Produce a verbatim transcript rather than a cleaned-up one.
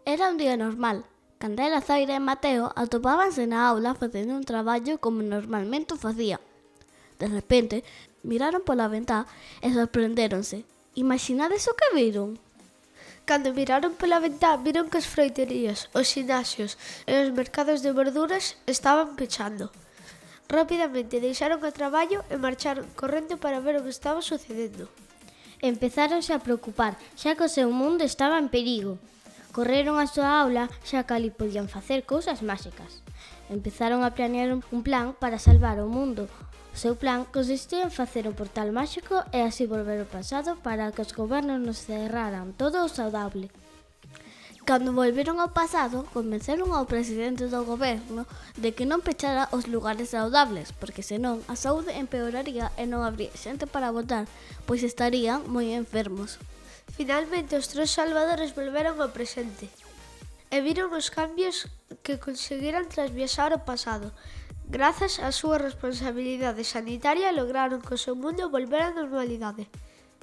Era un día normal. Candela, Zaira e Mateo atopábanse na aula facendo un traballo como normalmente o facían. De repente, miraron pola ventá e sorprendéronse. Imaginades o que viron? Cando miraron pola ventá, viron que as froiterías, os xinasios e os mercados de verduras estaban pechando. Rapidamente deixaron o traballo e marcharon correndo para ver o que estaba sucedendo. Empezáronse a preocupar, xa que o seu mundo estaba en perigo. Correron á súa aula, xa que ali podían facer cousas máxicas. Empezaron a planear un plan para salvar o mundo. O seu plan consistía en facer un portal máxico e así volver ao pasado para que os gobernos nos cerraran todo o saudable. Cando volveron ao pasado, convenceron ao presidente do goberno de que non pechara os lugares saudables, porque senón a saúde empeoraría e non habría xente para votar, pois estarían moi enfermos. Finalmente os tres salvadores volveron ao presente e viron os cambios que conseguiran tras viaxar ao pasado. Grazas á súa responsabilidade sanitaria lograron que o seu mundo volvera á normalidade.